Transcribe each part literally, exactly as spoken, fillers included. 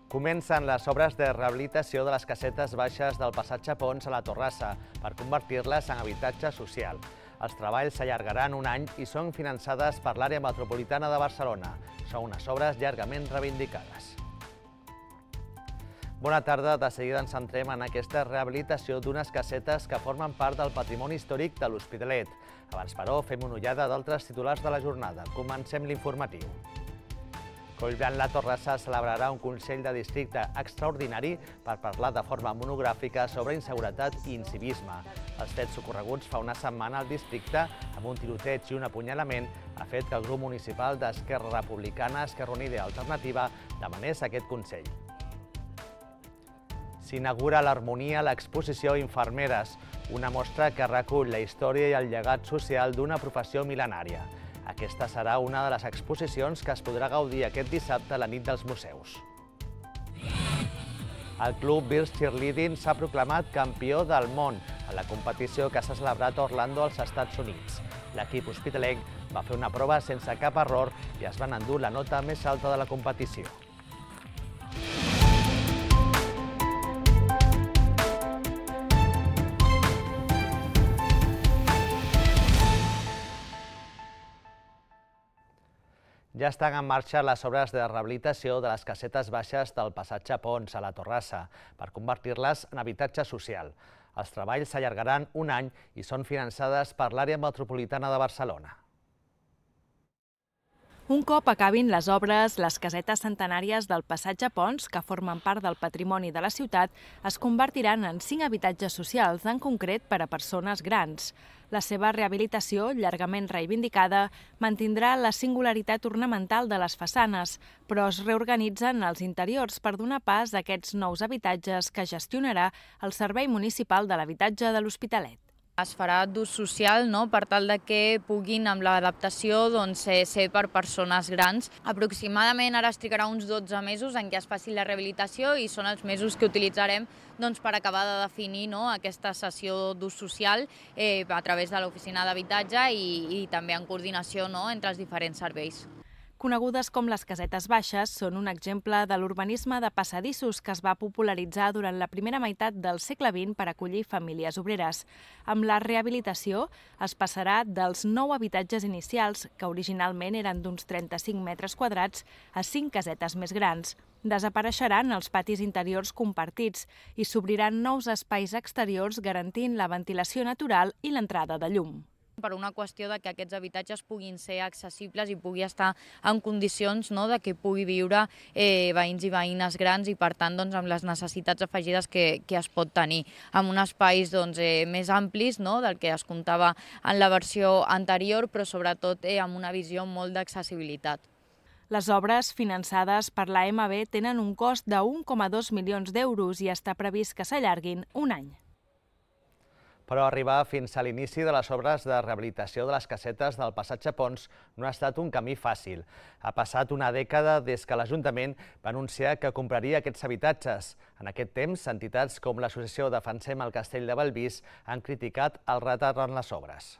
Comencen les obres de rehabilitació de les casetes baixes del passatge Pons a la Torrassa per convertir-les en habitatge social. Els treballs s'allargaran un any i són finançades per l'àrea metropolitana de Barcelona. Són unes obres llargament reivindicades. Bona tarda, de seguida ens centrem en aquesta rehabilitació d'unes casetes que formen part del patrimoni històric de l'Hospitalet. Abans, però, fem una ullada d'altres titulars de la jornada. Comencem l'informatiu. Collblanc-La Torrassa celebrarà un Consell de Districte extraordinari per parlar de forma monogràfica sobre inseguretat i incivisme. Els fets ocorreguts fa una setmana al districte, amb un tiroteig i un apunyalament, ha fet que el grup municipal d'Esquerra Republicana, Esquerra Unida i Alternativa demanés aquest Consell. S'inaugura a l'Harmonia l'exposició Infermeres, una mostra que recull la història i el llegat social d'una professió mil·lenària. Aquesta serà una de les exposicions que es podrà gaudir aquest dissabte a la nit dels museus. El club Bills Cheerleading s'ha proclamat campió del món a la competició que s'ha celebrat a Orlando, als Estats Units. L'equip hospitalenc va fer una prova sense cap error i es van endur la nota més alta de la competició. Ja estan en marxa les obres de rehabilitació de les casetes baixes del passatge Pons a la Torrassa per convertir-les en habitatge social. Els treballs s'allargaran un any i són finançades per l'àrea metropolitana de Barcelona. Un cop acabin les obres, les casetes centenàries del passatge Pons, que formen part del patrimoni de la ciutat, es convertiran en cinc habitatges socials, en concret per a persones grans. La seva rehabilitació, llargament reivindicada, mantindrà la singularitat ornamental de les façanes, però es reorganitzen els interiors per donar pas a aquests nous habitatges que gestionarà el Servei Municipal de l'Habitatge de l'Hospitalet. Es farà d'ús social, no?, per tal de que puguin, amb l'adaptació, doncs, ser per persones grans. Aproximadament ara es trigarà uns dotze mesos en què es faci la rehabilitació i són els mesos que utilitzarem doncs, per acabar de definir, no?, aquesta sessió d'ús social eh, a través de l'oficina d'habitatge i, i també en coordinació, no?, entre els diferents serveis. Conegudes com les casetes baixes, són un exemple de l'urbanisme de passadissos que es va popularitzar durant la primera meitat del segle vint per acollir famílies obreres. Amb la rehabilitació es passarà dels nou habitatges inicials, que originalment eren d'uns trenta-cinc metres quadrats, a cinc casetes més grans. Desapareixeran els patis interiors compartits i s'obriran nous espais exteriors garantint la ventilació natural i l'entrada de llum. Per una qüestió de que aquests habitatges puguin ser accessibles i pugui estar en condicions, no?, de que pugui viure eh, veïns i veïnes grans i, per tant, doncs, amb les necessitats afegides que, que es pot tenir. Amb uns espais doncs, eh, més amplis, no?, del que es comptava en la versió anterior, però sobretot eh, amb una visió molt d'accessibilitat. Les obres finançades per l'A M B tenen un cost de un coma dos milions d'euros i està previst que s'allarguin un any. Però arribar fins a l'inici de les obres de rehabilitació de les casetes del passatge Pons no ha estat un camí fàcil. Ha passat una dècada des que l'Ajuntament va anunciar que compraria aquests habitatges. En aquest temps, entitats com l'associació Defensem el Castell de Bellvís han criticat el retard en les obres.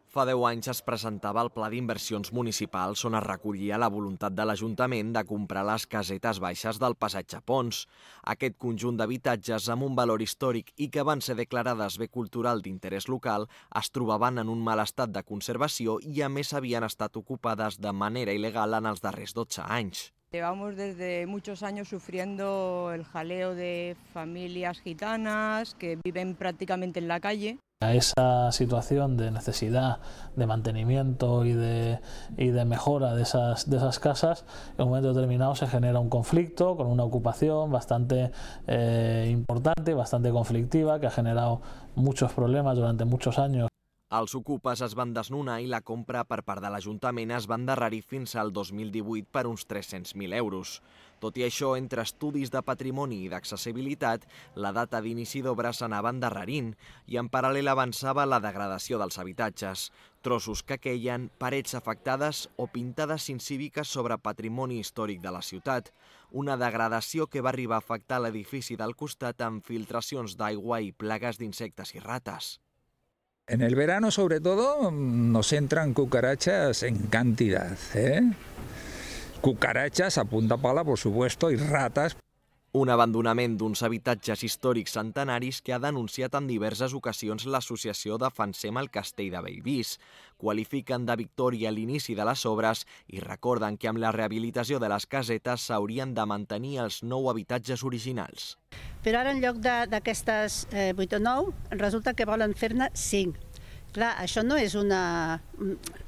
Fa deu anys es presentava el Pla d'Inversions Municipals on es recollia la voluntat de l'Ajuntament de comprar les casetes baixes del passatge Pons. Aquest conjunt d'habitatges amb un valor històric i que van ser declarades bé cultural d'interès local es trobaven en un mal estat de conservació i a més havien estat ocupades de manera il·legal en els darrers dotze anys. Llevamos desde muchos años sufriendo el jaleo de familias gitanas que viven prácticamente en la calle. A esa situación de necesidad de mantenimiento y de, y de mejora de esas, de esas casas, en un momento determinado se genera un conflicto con una ocupación bastante eh, importante, bastante conflictiva, que ha generado muchos problemas durante muchos años. Els ocupes es van desnonar i la compra per part de l'Ajuntament es va endarrerir fins al dos mil divuit per uns tres-cents mil euros. Tot i això, entre estudis de patrimoni i d'accessibilitat, la data d'inici d'obres s'anava endarrerint i en paral·lel avançava la degradació dels habitatges. Trossos que queien, parets afectades o pintades incíviques sobre patrimoni històric de la ciutat. Una degradació que va arribar a afectar l'edifici del costat amb filtracions d'aigua i plagues d'insectes i rates. En el verano, sobre todo, nos entran cucarachas en cantidad, ¿eh? cucarachas a punta pala, por supuesto, y ratas. Un abandonament d'uns habitatges històrics centenaris que ha denunciat en diverses ocasions l'associació Defensem el Castell de Bellvís. Qualifiquen de victòria l'inici de les obres i recorden que amb la rehabilitació de les casetes s'haurien de mantenir els nou habitatges originals. Però ara en lloc d'aquestes vuit o nou, resulta que volen fer-ne cinc. Clar, això no és una,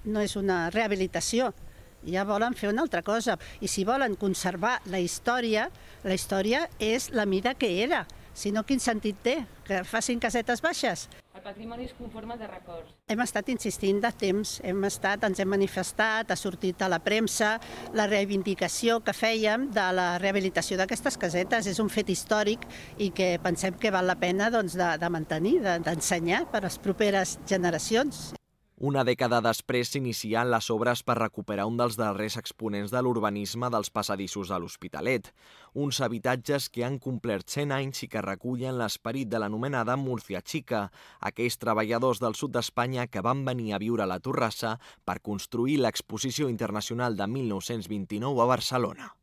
no és una rehabilitació. Ja volen fer una altra cosa. I si volen conservar la història, la història és la mida que era. Si no, quin sentit té? Que facin casetes baixes? El patrimoni es conforma de records. Hem estat insistint de temps, hem estat, ens hem manifestat, ha sortit a la premsa la reivindicació que fèiem de la rehabilitació d'aquestes casetes. És un fet històric i que pensem que val la pena doncs, de, de mantenir, d'ensenyar per a les properes generacions. Una dècada després s'inicien les obres per recuperar un dels darrers exponents de l'urbanisme dels passadissos de l'Hospitalet. Uns habitatges que han complert cent anys i que recullen l'esperit de l'anomenada Múrcia Xica, aquells treballadors del sud d'Espanya que van venir a viure a la Torrassa per construir l'Exposició Internacional de mil nou-cents vint-i-nou a Barcelona.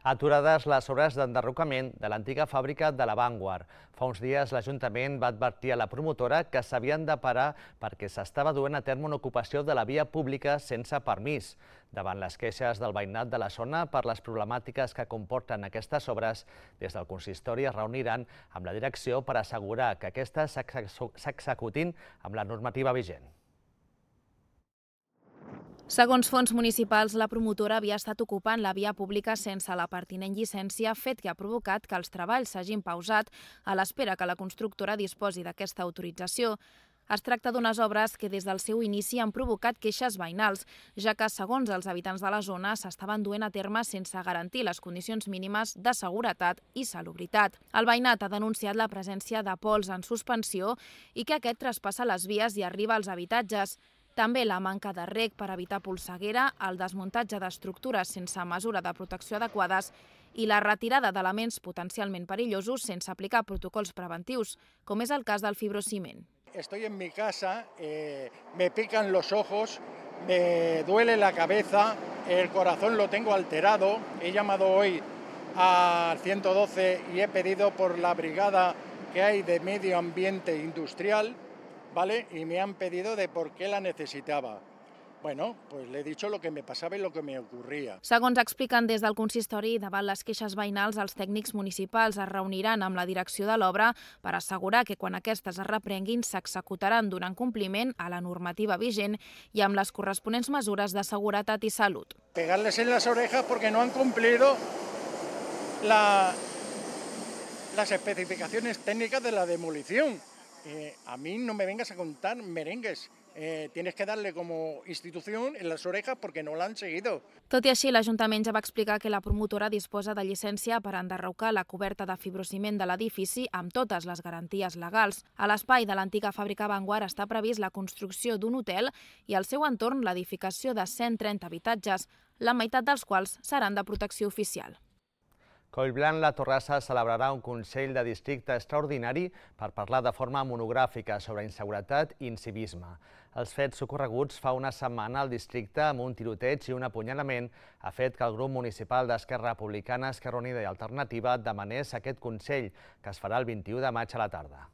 Aturades les obres d'enderrocament de l'antiga fàbrica de la Vanguard. Fa uns dies l'Ajuntament va advertir a la promotora que s'havien de parar perquè s'estava duent a terme una ocupació de la via pública sense permís. Davant les queixes del veïnat de la zona per les problemàtiques que comporten aquestes obres, des del consistori es reuniran amb la direcció per assegurar que aquestes s'executin amb la normativa vigent. Segons fons municipals, la promotora havia estat ocupant la via pública sense la pertinent llicència, fet que ha provocat que els treballs s'hagin pausat a l'espera que la constructora disposi d'aquesta autorització. Es tracta d'unes obres que des del seu inici han provocat queixes veïnals, ja que, segons els habitants de la zona, s'estaven duent a terme sense garantir les condicions mínimes de seguretat i salubritat. El veïnat ha denunciat la presència de pols en suspensió i que aquest traspassa les vies i arriba als habitatges. També la manca de reg per evitar polseguera, el desmuntatge d'estructures sense mesura de protecció adequades i la retirada d'elements potencialment perillosos sense aplicar protocols preventius, com és el cas del fibrociment. Estoy en mi casa, eh, me pican los ojos, me duele la cabeza, el corazón lo tengo alterado. He llamado hoy al ciento doce y he pedido por la brigada que hay de medio ambiente industrial, ¿vale? Y me han pedido de por qué la necesitaba. Bueno, pues le he dicho lo que me pasaba i lo que me ocurria. Segons expliquen des del consistori, davant les queixes veïnals, els tècnics municipals es reuniran amb la direcció de l'obra per assegurar que quan aquestes es reprenguin s'executaran donant compliment a la normativa vigent i amb les corresponents mesures de seguretat i salut. Pegarles en las orejas porque no han cumplido la, las especificaciones técnicas de la demolición. Eh, a mí no me vengas a contar merengues. Eh, tienes que darle como institución en las orejas porque no la han seguido. Tot i així, l'Ajuntament ja va explicar que la promotora disposa de llicència per enderrocar la coberta de fibrociment de l'edifici amb totes les garanties legals. A l'espai de l'antiga fàbrica Vanguard està previst la construcció d'un hotel i al seu entorn l'edificació de cent trenta habitatges, la meitat dels quals seran de protecció oficial. Collblanc La Torrassa celebrarà un Consell de Districte extraordinari per parlar de forma monogràfica sobre inseguretat i incivisme. Els fets ocorreguts fa una setmana al districte amb un tiroteig i un apunyalament ha fet que el grup municipal d'Esquerra Republicana, Esquerra Unida i Alternativa demanés aquest Consell, que es farà el vint-i-u de maig a la tarda.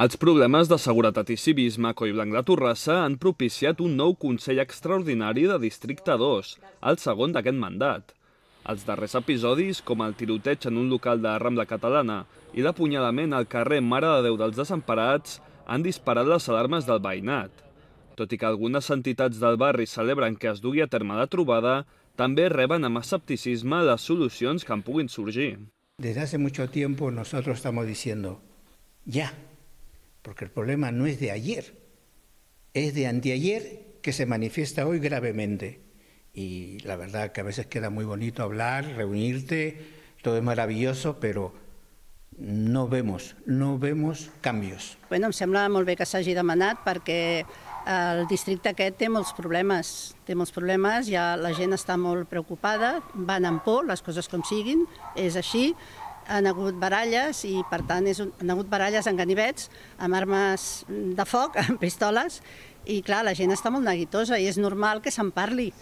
Els problemes de seguretat i civisme a Collblanc La Torrassa han propiciat un nou Consell Extraordinari de Districte dos, el segon d'aquest mandat. Els darrers episodis, com el tiroteig en un local de Rambla Catalana i l'apunyalament al carrer Mare de Déu dels Desemparats, han disparat les alarmes del veïnat. Tot i que algunes entitats del barri celebren que es dugui a terme la trobada, també reben amb escepticisme les solucions que en puguin sorgir. Desde hace mucho tiempo nosotros estamos diciendo, ya, porque el problema no es de ayer, es de anteayer que se manifiesta hoy gravemente. Y la verdad que a veces queda muy bonito hablar, reunirte, todo es maravilloso, pero no vemos, no vemos canvis. Bueno, em sembla molt bé que s'hagi demanat perquè el districte aquest té molts problemes, té molts problemes, ja la gent està molt preocupada, van amb por, les coses com siguin, és així. han hagut baralles i, per tant, és un, han hagut baralles amb ganivets, amb armes de foc, amb pistoles, i, clar, la gent està molt neguitosa i és normal que se'n parli.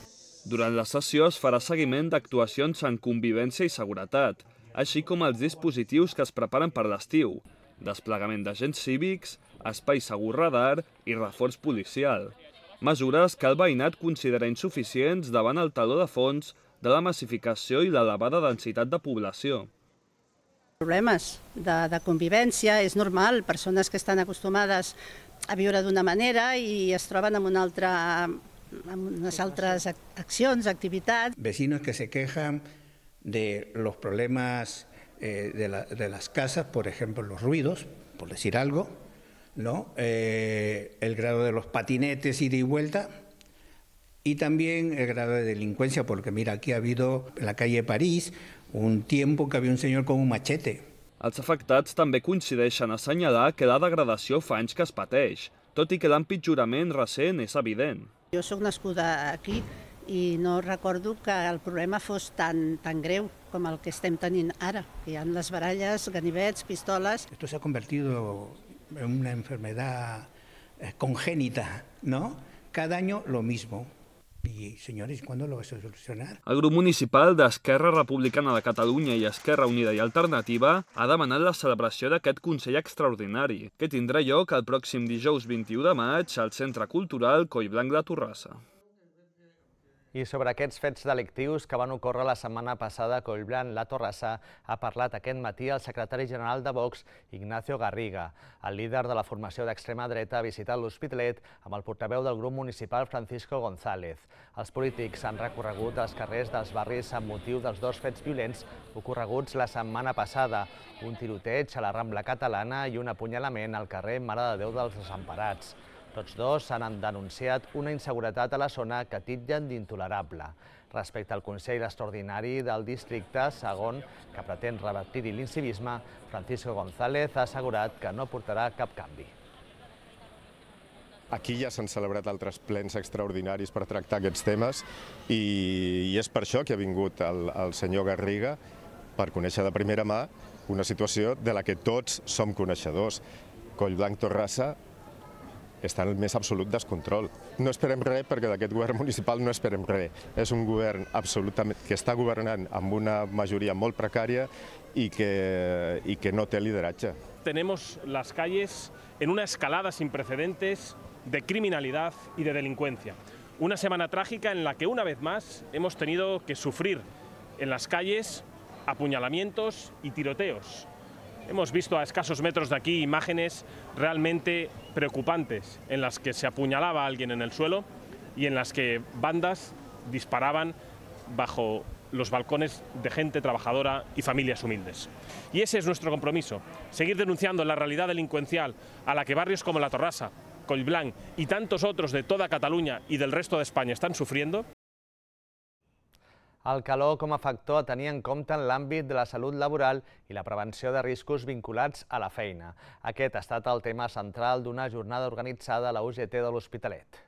Durant la sessió es farà seguiment d'actuacions en convivència i seguretat, així com els dispositius que es preparen per l'estiu, desplegament d'agents cívics, espai segur radar i reforç policial. Mesures que el veïnat considera insuficients davant el teló de fons de la massificació i l'elevada densitat de població. Problemes de, de convivència, és normal, persones que estan acostumades a viure d'una manera i es troben amb una altra, amb unes altres accions, activitats. Vecinos que se quejan de los problemas eh, de, la, de las casas, por ejemplo, los ruidos, por decir algo, ¿no? Eh, el grado de los patinetes ida y vuelta, y también el grado de delincuencia, porque mira, aquí ha habido en la calle París un tiempo que había un señor con un machete. Els afectats també coincideixen a assenyalar que la degradació fa anys que es pateix, tot i que l'empitjorament recent és evident. Jo sóc nascuda aquí i no recordo que el problema fos tan, tan greu com el que estem tenint ara, que hi ha les baralles, ganivets, pistoles. Esto se ha convertido en una enfermedad congénita, ¿no? Cada año lo mismo. Y, señores, ¿cuándo lo vas a solucionar? El grup municipal d'Esquerra Republicana de Catalunya i Esquerra Unida i Alternativa ha demanat la celebració d'aquest Consell Extraordinari, que tindrà lloc el pròxim dijous vint-i-u de maig al Centre Cultural Collblanc de Torrassa. I sobre aquests fets delictius que van ocórrer la setmana passada a Collblanc, la Torrassa, ha parlat aquest matí el secretari general de Vox, Ignacio Garriga. El líder de la formació d'extrema dreta ha visitat l'Hospitalet amb el portaveu del grup municipal Francisco González. Els polítics han recorregut els carrers dels barris amb motiu dels dos fets violents ocorreguts la setmana passada, un tiroteig a la Rambla Catalana i un apunyalament al carrer Mare de Déu dels Desemparats. Tots dos han denunciat una inseguretat a la zona que titllen d'intolerable. Respecte al Consell Extraordinari del districte, segon, que pretén revertir-hi l'incivisme, Francisco González ha assegurat que no portarà cap canvi. Aquí ja s'han celebrat altres plens extraordinaris per tractar aquests temes i és per això que ha vingut el senyor Garriga per conèixer de primera mà una situació de la que tots som coneixedors. Collblanc Torrassa està en el més absolut descontrol. No esperem res perquè d'aquest govern municipal no esperem res. És un govern absolutament que està governant amb una majoria molt precària y que, y que no té lideratge. Tenemos las calles en una escalada sin precedentes de criminalidad y de delincuencia. Una semana trágica en la que una vez más hemos tenido que sufrir en las calles apuñalamientos y tiroteos. Hemos visto a escasos metros de aquí imágenes realmente preocupantes en las que se apuñalaba a alguien en el suelo y en las que bandas disparaban bajo los balcones de gente trabajadora y familias humildes. Y ese es nuestro compromiso, seguir denunciando la realidad delincuencial a la que barrios como La Torrassa, Collblanc y tantos otros de toda Cataluña y del resto de España están sufriendo. El calor com a factor a tenir en compte en l'àmbit de la salut laboral i la prevenció de riscos vinculats a la feina. Aquest ha estat el tema central d'una jornada organitzada a la U G T de l'Hospitalet.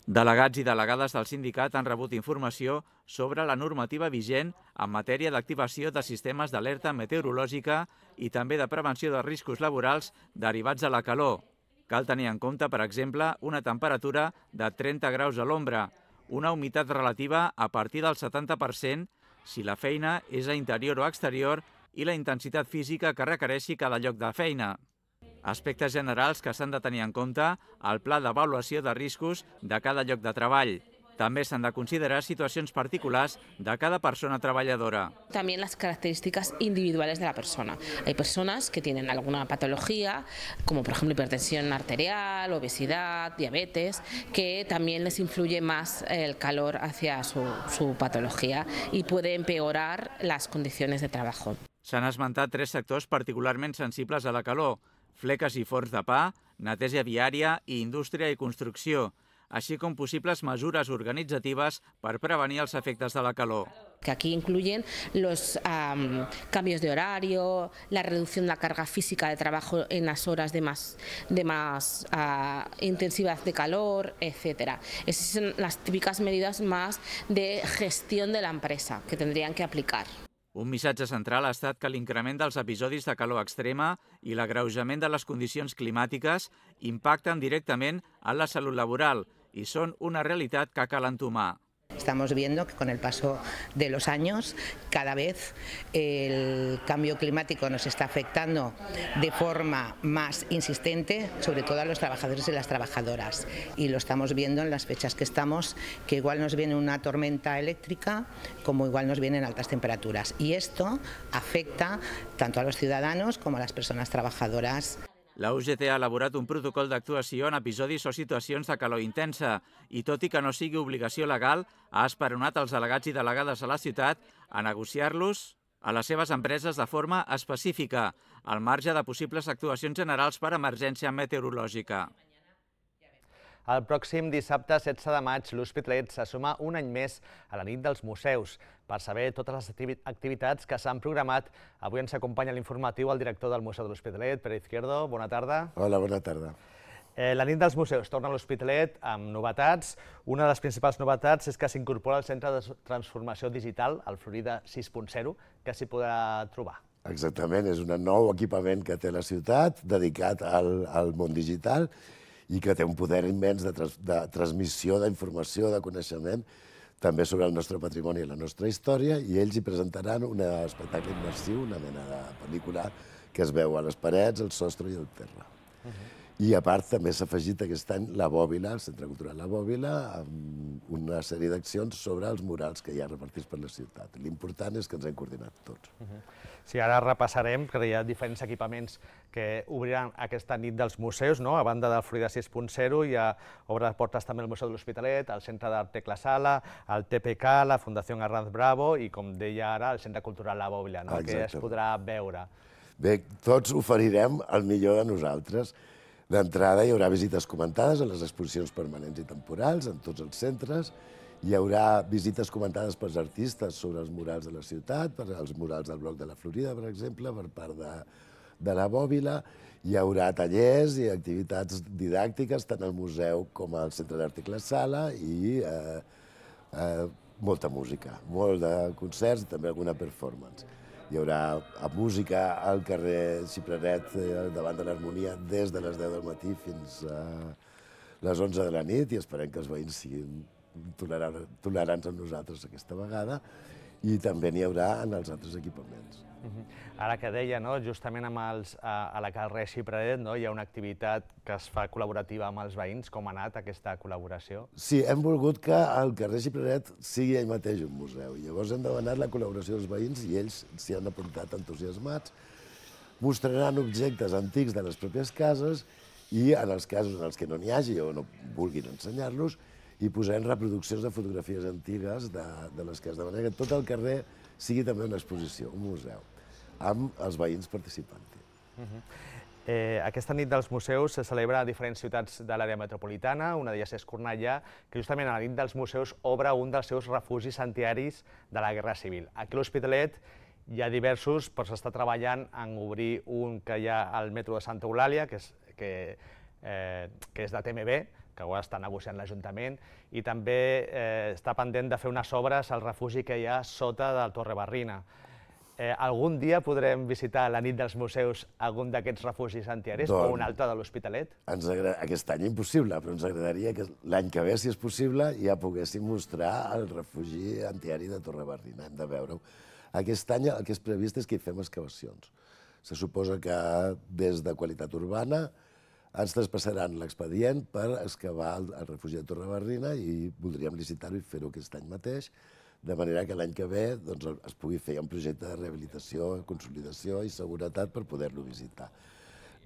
Delegats i delegades del sindicat han rebut informació sobre la normativa vigent en matèria d'activació de sistemes d'alerta meteorològica i també de prevenció de riscos laborals derivats de la calor. Cal tenir en compte, per exemple, una temperatura de trenta graus a l'ombra, una humitat relativa a partir del setanta per cent si la feina és a interior o exterior i la intensitat física que requereixi cada lloc de feina. Aspectes generals que s'han de tenir en compte al pla d'avaluació de riscos de cada lloc de treball. També s'han de considerar situacions particulars de cada persona treballadora. También las características individuales de la persona. Hay personas que tienen alguna patología, como por ejemplo hipertensión arterial, obesidad, diabetes, que también les influye más el calor hacia su, su patología y puede empeorar las condiciones de trabajo. S'han esmentat tres sectors particularment sensibles a la calor: fleques i forns de pa, neteja viària i indústria i construcció, així com possibles mesures organitzatives per prevenir els efectes de la calor. Que aquí incluyen los um, cambios de horario, la reducción de la carga física de trabajo en las horas de más, de más uh, intensidad de calor, etcétera. Esas son las típicas medidas más de gestión de la empresa que tendrían que aplicar. Un missatge central ha estat que l'increment dels episodis de calor extrema i l'agreujament de les condicions climàtiques impacten directament en la salut laboral i són una realitat que cal entomar. Estamos viendo que con el paso de los años cada vez el cambio climático nos está afectando de forma más insistente, sobre todo a los trabajadores y las trabajadoras. Y lo estamos viendo en las fechas que estamos, que igual nos viene una tormenta eléctrica como igual nos vienen altas temperaturas. Y esto afecta tanto a los ciudadanos como a las personas trabajadoras. La U G T ha elaborat un protocol d'actuació en episodis o situacions de calor intensa i, tot i que no sigui obligació legal, ha esperonat els delegats i delegades a la ciutat a negociar-los a les seves empreses de forma específica, al marge de possibles actuacions generals per emergència meteorològica. El pròxim dissabte setze de maig, l'Hospitalet se suma un any més a la nit dels museus. Per saber totes les activitats que s'han programat, avui ens acompanya l'informatiu el director del Museu de l'Hospitalet, Pere Izquierdo. Bona tarda. Hola, bona tarda. La nit dels museus torna a l'Hospitalet amb novetats. Una de les principals novetats és que s'incorpora al Centre de Transformació Digital, el Florida sis punt zero, que s'hi podrà trobar. Exactament, és un nou equipament que té la ciutat, dedicat al, al món digital, i que té un poder immens de, trans, de transmissió d'informació, de coneixement, també sobre el nostre patrimoni i la nostra història, i ells hi presentaran un espectacle immersiu, una mena de pel·lícula que es veu a les parets, al sostre i al terra. Uh-huh. I a part també s'ha afegit aquest any la Bòbila, el Centre Cultural La Bòbila, amb una sèrie d'accions sobre els murals que hi ha repartits per la ciutat. L'important és que ens hem coordinat tots. Uh-huh. Sí, ara repassarem, que hi ha diferents equipaments que obriran aquesta nit dels museus, no? A banda del Florida sis punt zero, hi ha obre portes també al Museu de l'Hospitalet, el Centre d'Art Tecla Sala, el T P K, la Fundació Arranz Bravo i, com deia ara, el Centre Cultural La Bòbila, no? Que es podrà veure. Bé, tots oferirem el millor de nosaltres. D'entrada hi haurà visites comentades a les exposicions permanents i temporals en tots els centres. Hi haurà visites comentades pels artistes sobre els murals de la ciutat, per els murals del bloc de la Florida, per exemple, per part de, de la Bòbila. Hi haurà tallers i activitats didàctiques tant al museu com al Centre d'Art Tecla Sala i eh, eh, molta música, molt de concerts i també alguna performance. Hi haurà música al carrer Xipreret eh, davant de l'Harmonia des de les deu del matí fins a les onze de la nit i esperem que els veïns siguin tolerants amb nosaltres aquesta vegada, i també n'hi haurà en els altres equipaments. Ara que deia, justament a la carrer Xipreret hi ha una activitat que es fa col·laborativa amb els veïns. Com ha anat aquesta col·laboració? Sí, hem volgut que el carrer Xipreret sigui ell mateix un museu. Llavors hem demanat la col·laboració dels veïns i ells s'hi han apuntat entusiasmats. Mostraran objectes antics de les pròpies cases i, en els casos en els que no n'hi hagi o no vulguin ensenyar-los, i posarem reproduccions de fotografies antigues de, de les cases, de manera que tot el carrer sigui també una exposició, un museu, amb els veïns participant-hi. Uh-huh. eh, aquesta nit dels museus se celebra a diferents ciutats de l'àrea metropolitana, una d'elles és Cornellà, que justament a la nit dels museus obre un dels seus refugis antiaeris de la Guerra Civil. Aquí a l'Hospitalet hi ha diversos, però s'està treballant en obrir un que hi ha al metro de Santa Eulàlia, que és, que, eh, que és de T M B, que ho està negociant l'Ajuntament, i també eh, està pendent de fer unes obres al refugi que hi ha sota del Torre Barrina. Eh, algun dia podrem visitar la nit dels museus algun d'aquests refugis antiaeris o un altre de l'Hospitalet? Aquest any impossible, però ens agradaria que l'any que ve, si és possible, ja poguéssim mostrar el refugi antiaeri de Torre Barrina. Hem de veure-ho. Aquest any el que és previst és que hi fem excavacions. Se suposa que des de Qualitat Urbana ens traspassaran l'expedient per excavar el, el refugi de Torre Barrina i voldríem licitar-ho i fer-ho aquest any mateix, de manera que l'any que ve doncs, es pugui fer un projecte de rehabilitació, consolidació i seguretat per poder-lo visitar.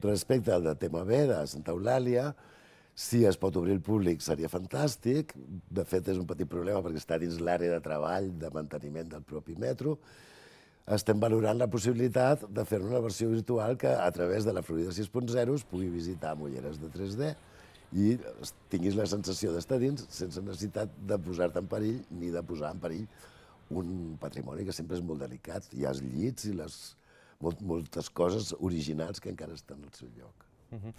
Respecte al de T M B, de Santa Eulàlia, si es pot obrir el públic seria fantàstic. De fet, és un petit problema perquè està dins l'àrea de treball de manteniment del propi metro. Estem valorant la possibilitat de fer una versió virtual que a través de la Florida sis punt zero es pugui visitar amb ulleres de tres D i tinguis la sensació d'estar dins sense necessitat de posar-te en perill ni de posar en perill un patrimoni que sempre és molt delicat. Hi ha els llits i les, molt, moltes coses originals que encara estan al seu lloc. Uh-huh.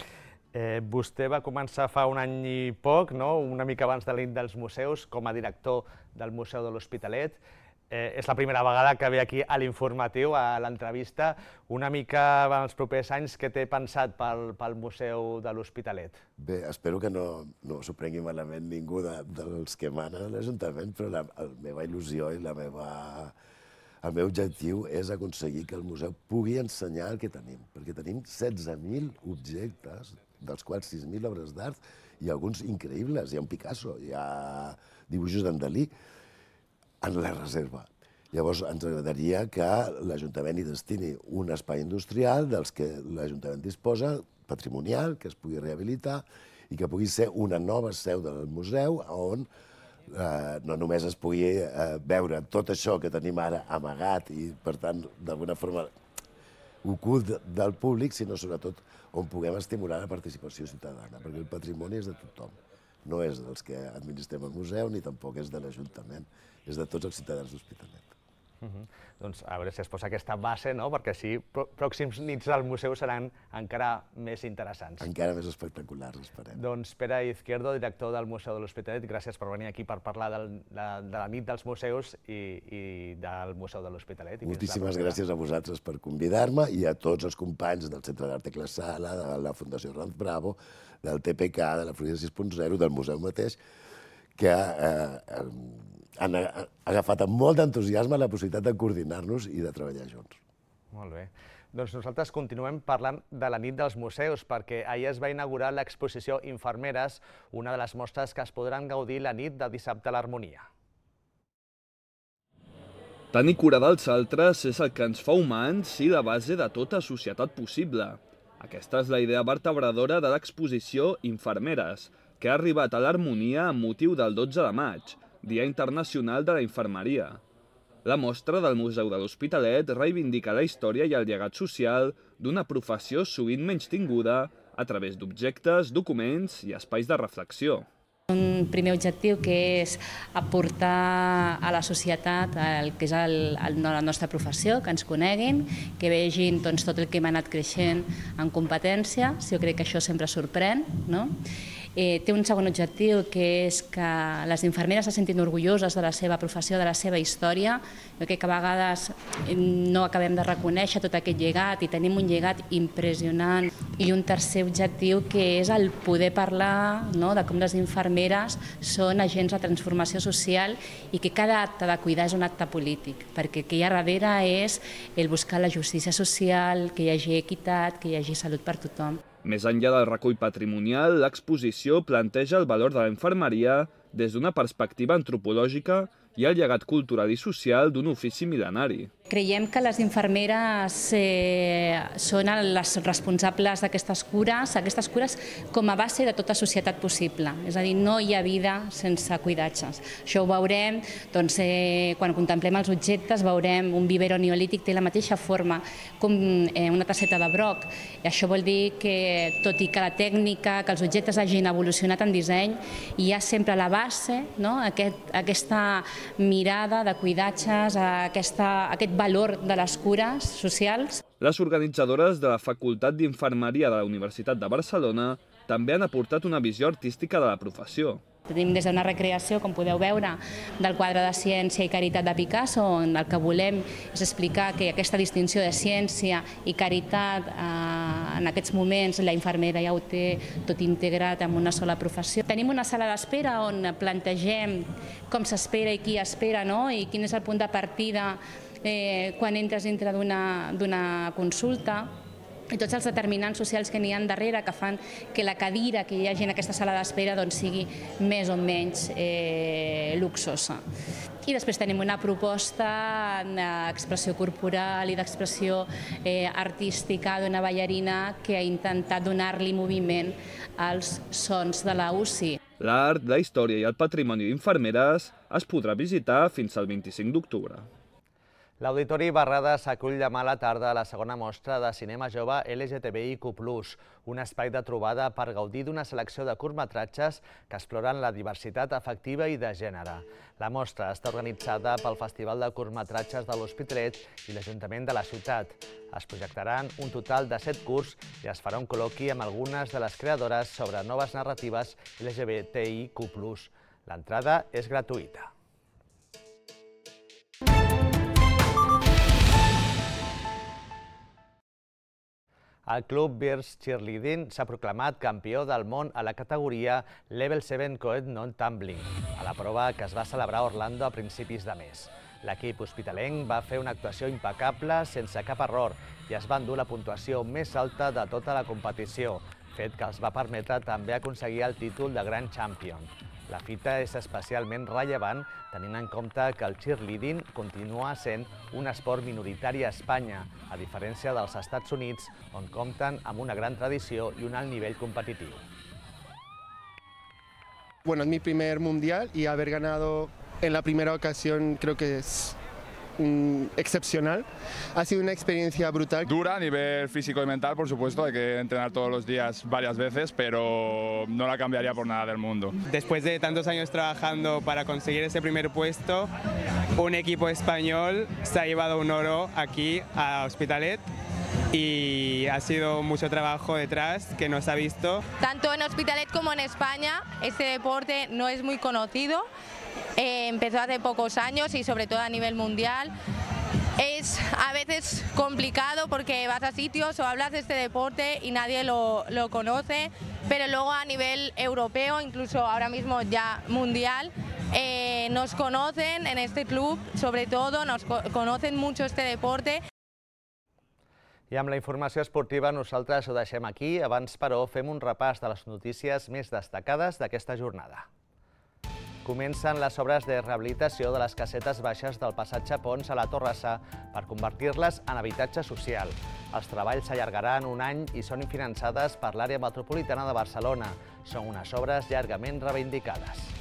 eh, vostè va començar fa un any i poc, no? Una mica abans de la nit dels museus, com a director del Museu de l'Hospitalet. és la primera vegada que ve aquí a l'informatiu, a l'entrevista. Una mica en els propers anys, què té pensat pel Museu de l'Hospitalet? Bé, espero que no s'ho prengui malament ningú dels que manen a l'Ajuntament, però la meva il·lusió i la meva... el meu objectiu és aconseguir que el museu pugui ensenyar el que tenim, perquè tenim setze mil objectes, dels quals sis mil obres d'art, i alguns increïbles. Hi ha un Picasso, hi ha dibuixos d'en Dalí, en la reserva. Llavors, ens agradaria que l'Ajuntament hi destini un espai industrial dels que l'Ajuntament disposa, patrimonial, que es pugui rehabilitar i que pugui ser una nova seu del museu on no només es pugui veure tot això que tenim ara amagat i, per tant, d'alguna forma ocult del públic, sinó sobretot on puguem estimular la participació ciutadana, perquè el patrimoni és de tothom. No és dels que administrem el museu ni tampoc és de l'Ajuntament, és de tots els ciutadans d'Hospitalet. Doncs a veure si es posa aquesta base, perquè així pròxims nits al museu seran encara més interessants. Encara més espectaculars, esperem. Doncs Pere Izquierdo, director del Museu de l'Hospitalet, gràcies per venir aquí per parlar de la nit dels museus i del Museu de l'Hospitalet. Moltíssimes gràcies a vosaltres per convidar-me i a tots els companys del Centre d'Art Tecla Sala, de la Fundació Ranz Bravo, del T P K, de la Florida sis punt zero, del museu mateix, que han agafat amb molt d'entusiasme la possibilitat de coordinar-nos i de treballar junts. Molt bé. Doncs nosaltres continuem parlant de la nit dels museus, perquè ahir es va inaugurar l'exposició Infermeres, una de les mostres que es podran gaudir la nit de dissabte a l'Harmonia. Tenir cura dels altres és el que ens fa humans i la base de tota societat possible. Aquesta és la idea vertebradora de l'exposició Infermeres, que ha arribat a l'Harmonia amb motiu del dotze de maig, Dia Internacional de la Infermeria. La mostra del Museu de l'Hospitalet reivindica la història i el llegat social d'una professió sovint menystinguda a través d'objectes, documents i espais de reflexió. Un primer objectiu que és aportar a la societat el que és la nostra professió, que ens coneguin, que vegin tot el que hem anat creixent en competències. Jo crec que això sempre sorprèn. Té un segon objectiu, que és que les infermeres se sentin orgulloses de la seva professió, de la seva història. Jo crec que a vegades no acabem de reconèixer tot aquest llegat i tenim un llegat impressionant. I un tercer objectiu, que és el poder parlar de com les infermeres són agents de transformació social i que cada acte de cuidar és un acte polític, perquè el que hi ha darrere és el buscar la justícia social, que hi hagi equitat, que hi hagi salut per tothom. Més enllà del recull patrimonial, l'exposició planteja el valor de la infermeria des d'una perspectiva antropològica i el llegat cultural i social d'un ofici mil·lenari. Creiem que les infermeres són les responsables d'aquestes cures, aquestes cures com a base de tota societat possible. És a dir, no hi ha vida sense cuidatges. Això ho veurem quan contemplem els objectes, veurem un vivero neolític, té la mateixa forma com una tasseta de broc. Això vol dir que, tot i que la tècnica, que els objectes hagin evolucionat en disseny, hi ha sempre a la base aquesta mirada de cuidatges, aquest valor de les cures socials. Les organitzadores de la Facultat d'Infermeria de la Universitat de Barcelona també han aportat una visió artística de la professió. Tenim des d'una recreació, com podeu veure, del quadre de Ciència i Caritat de Picasso, on el que volem és explicar que aquesta distinció de ciència i caritat, en aquests moments la infermera ja ho té tot integrat en una sola professió. Tenim una sala d'espera on plantegem com s'espera i qui espera, i quin és el punt de partida quan entres dintre d'una consulta, i tots els determinants socials que n'hi ha darrere que fan que la cadira que hi hagi en aquesta sala d'espera sigui més o menys luxosa. I després tenim una proposta d'expressió corporal i d'expressió artística d'una ballarina que ha intentat donar-li moviment als sons de la U C I. L'art, la història i el patrimoni d'infermeres es podrà visitar fins al vint-i-cinc d'octubre. L'Auditori Barradas acull demà a la tarda la segona mostra de cinema jove L G T B I Q plus, un espai de trobada per gaudir d'una selecció de curtmetratges que exploren la diversitat afectiva i de gènere. La mostra està organitzada pel Festival de Curtmetratges de l'Hospitalet i l'Ajuntament de la ciutat. Es projectaran un total de set curts i es farà un col·loqui amb algunes de les creadores sobre noves narratives L G B T I Q plus. L'entrada és gratuïta. El club Birds Cheerleading s'ha proclamat campió del món a la categoria Level set Coed Non-Tumbling, a la prova que es va celebrar a Orlando a principis de mes. L'equip hospitalenc va fer una actuació impecable sense cap error i es va endur la puntuació més alta de tota la competició, fet que els va permetre també aconseguir el títol de Grand Champion. La fita és especialment rellevant tenint en compte que el cheerleading continua sent un esport minoritari a Espanya, a diferència dels Estats Units, on compten amb una gran tradició i un alt nivell competitiu. Bueno, es mi primer mundial y haber ganado en la primera ocasión creo que es mm, excepcional. Ha sido una experiencia brutal. Dura a nivel físico y mental, por supuesto, hay que entrenar todos los días varias veces, pero no la cambiaría por nada del mundo. Después de tantos años trabajando para conseguir ese primer puesto, un equipo español se ha llevado un oro aquí a Hospitalet y ha sido mucho trabajo detrás que no se ha visto. Tanto en Hospitalet como en España, este deporte no es muy conocido. Eh, empezó hace pocos años y sobre todo a nivel mundial. Es a veces complicado porque vas a sitios o hablas de este deporte y nadie lo, lo conoce, pero luego a nivel europeo, incluso ahora mismo ya mundial, eh, nos conocen en este club, sobre todo nos co conocen mucho este deporte. I amb la informació esportiva nosaltres ho deixem aquí. Abans, però, fem un repàs de les notícies més destacades d'aquesta jornada. Comencen les obres de rehabilitació de les casetes baixes del passatge Pons a la Torrassa per convertir-les en habitatge social. Els treballs s'allargaran un any i són finançades per l'àrea metropolitana de Barcelona. Són unes obres llargament reivindicades.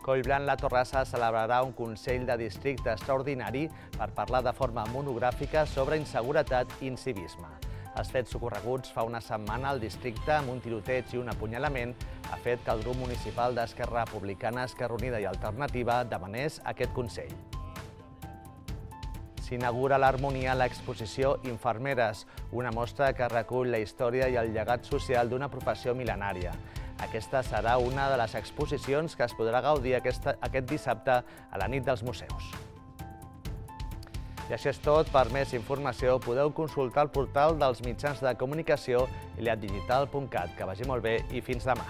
Collblanc-La Torrassa celebrarà un Consell de Districte extraordinari per parlar de forma monogràfica sobre inseguretat i incivisme. Els fets ocorreguts fa una setmana al districte amb un tiroteig i un apunyalament ha fet que el grup municipal d'Esquerra Republicana, Esquerra Unida i Alternativa demanés aquest Consell. S'inaugura a l'Harmonia l'exposició Infermeres, una mostra que recull la història i el llegat social d'una professió mil·lenària. Aquesta serà una de les exposicions que es podrà gaudir aquest dissabte a la nit dels museus. I això és tot. Per més informació podeu consultar el portal dels mitjans de comunicació iliad digital punt cat. Que vagi molt bé i fins demà.